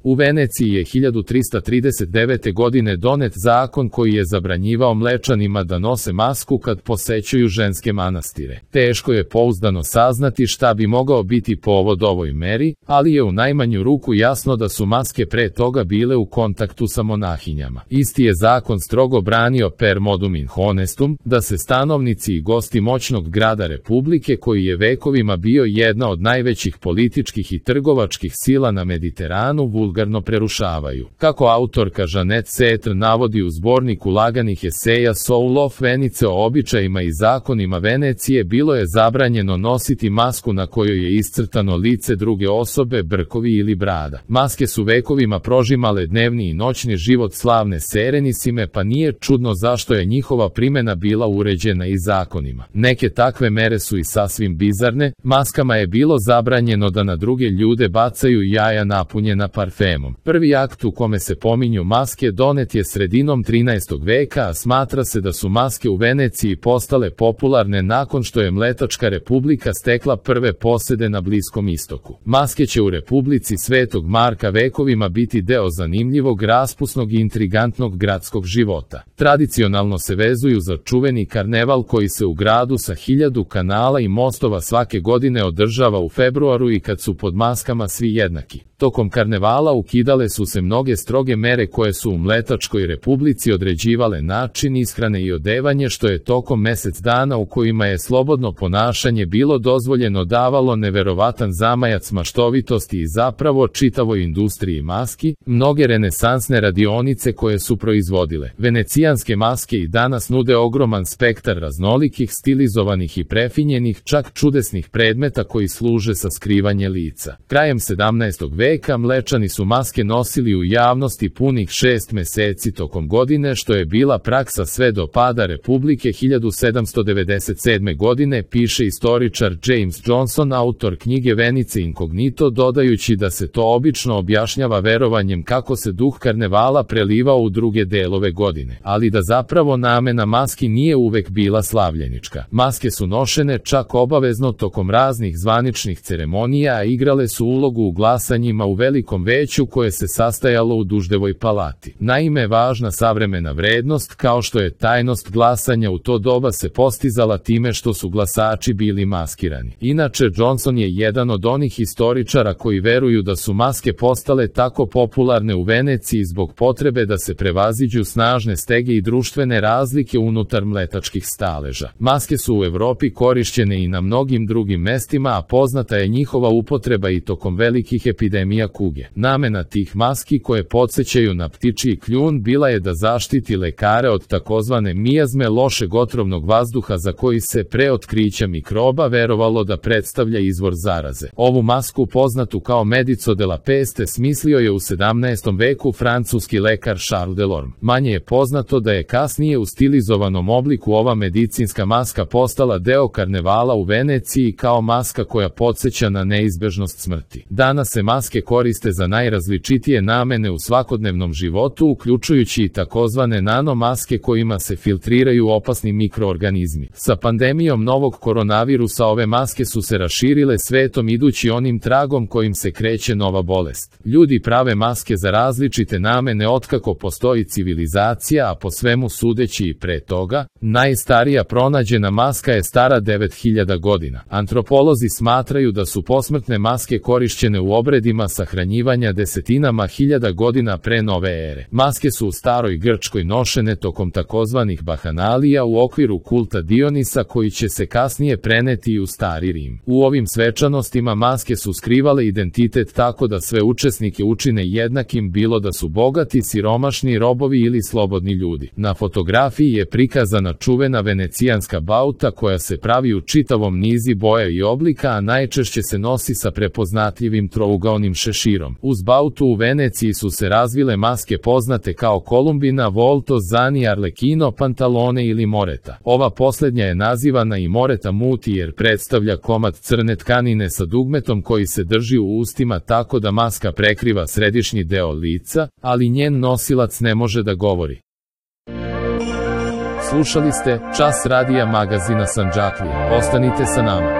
U Veneciji je 1339. godine donet zakon koji je zabranjivao mlečanima da nose masku kad posećuju ženske manastire. Teško je pouzdano saznati šta bi mogao biti povod ovoj meri, ali je u najmanju ruku jasno da su maske pre toga bile u kontaktu sa monahinjama. Isti je zakon strogo branio per modum in honestum, da se stanovnici i gosti moćnog grada Republike, koji je vekovima bio jedna od najvećih političkih i trgovačkih sila na Mediteranu, vulgarno prerušavaju. Kako autorka Jeanette Setr navodi u zborniku laganih eseja Soul of Venice o običajima i zakonima Venecije, bilo je zabranjeno nositi masku na kojoj je iscrtano lice druge osobe, brkovi ili brada. Maske su vekovima prožimale dnevni i noćni život slavne Serenisime, pa nije čudno zašto je njihova primjena bila uređena i zakonima. Neke takve mere su i sasvim bizarne. Maskama je bilo zabranjeno da na druge ljude bacaju jaja napunjena parfemom. Prvi akt u kome se pominju maske donet je sredinom 13. veka, a smatra se da su maske u Veneciji postale popularne nakon što je Mletačka republika stekla prve posede na Bliskom istoku. Maske će u Republici Svetog Marka vekovima biti deo zanimljivog, raspusnog i intrigantnog gradskog života. Tradicionalno se vezuju za čuveni karneval koji se u gradu sa 1000 kanala i mostova svake godine održava u februaru i kad su pod maskama svi jednaki. Tokom karnevala ukidale su se mnoge stroge mere koje su u Mletačkoj republici određivale način ishrane i odevanje, što je tokom mesec dana u kojima je slobodno ponašanje bilo dozvoljeno davalo neverovatan zamajac maštovitosti i zapravo čitavoj industriji maski. Mnoge renesansne radionice koje su proizvodile venecijanske maske i danas nude ogroman spektar raznolikih, stilizovanih i prefinjenih, čak čudesnih predmeta koji služe sa skrivanje lica. Krajem 17. veka Mlečani su maske nosili u javnosti punih 6 meseci tokom godine, što je bila praksa sve do pada Republike 1797. godine, piše istoričar James Johnson, autor knjige Venice Incognito, dodajući da se to obično objašnjava verovanjem kako se duh karnevala prelivao u druge delove godine, ali da zapravo namena maski nije uvek bila slavljenička. Maske su nošene čak obavezno tokom raznih zvaničnih ceremonija, a igrale su ulogu u glasanjima u velikom veću koje se sastajalo u Duždevoj palati. Naime, važna savremena vrednost, kao što je tajnost glasanja u to doba, se postizala time što su glasači bili maskirani. Inače, Johnson je jedan od onih historičara koji veruju da su maske postale tako popularne u Veneciji zbog potrebe da se prevaziđu snažne stege i društvene razlike unutar mletačkih staleža. Maske su u Evropi korišćene i na mnogim drugim mestima, a poznata je njihova upotreba i tokom velikih epidemija kuge. Namena tih maski, koje podsećaju na ptičji kljun, bila je da zaštiti lekare od takozvane mijazme, lošeg otrovnog vazduha za koji se pre otkrića mikroba verovalo da predstavlja izvor zaraze. Ovu masku, poznatu kao Medico de la Peste, smislio je u 17. veku francuski lekar Charles Delorme. Manje je poznato da je kasnije u stilizovanom obliku ova medicinska maska postala deo karnevala u Veneciji kao maska koja podseća na neizbežnost smrti. Danas se maske koriste za najrazličitije namene u svakodnevnom životu, uključujući i takozvane nanomaske kojima se filtriraju opasni mikroorganizmi. Sa pandemijom novog koronavirusa ove maske su se raširile svetom idući onim tragom kojim se kreće nova bolest. Ljudi prave maske za različite namene otkako postoji civilizacija, a po svemu sudeći i pre toga. Najstarija pronađena maska je stara 9000 godina. Antropolozi smatraju da su posmrtne maske korišćene u obredima sahranjivanja desetinama hiljada godina pre nove ere. Maske su u staroj Grčkoj nošene tokom takozvanih bahanalija u okviru kulta Dionisa, koji će se kasnije preneti i u stari Rim. U ovim svečanostima maske su skrivale identitet tako da sve učesnike učine jednakim, bilo da su bogati, siromašni, robovi ili slobodni ljudi. Na fotografiji je prikazana čuvena venecijanska bauta koja se pravi u čitavom nizi boja i oblika, a najčešće se nosi sa prepoznatljivim trougaonim šeširom. Uz bautu u Veneciji su se razvile maske poznate kao Kolumbina, Volto, Zani, Arlecchino, Pantalone ili Moreta. Ova posljednja je nazivana i Moreta Muti jer predstavlja komad crne tkanine sa dugmetom koji se drži u ustima tako da maska prekriva središnji deo lica, ali njen nosilac ne može da govori. Slušali ste Čas radija magazina Sandžaklija. Ostanite sa nama.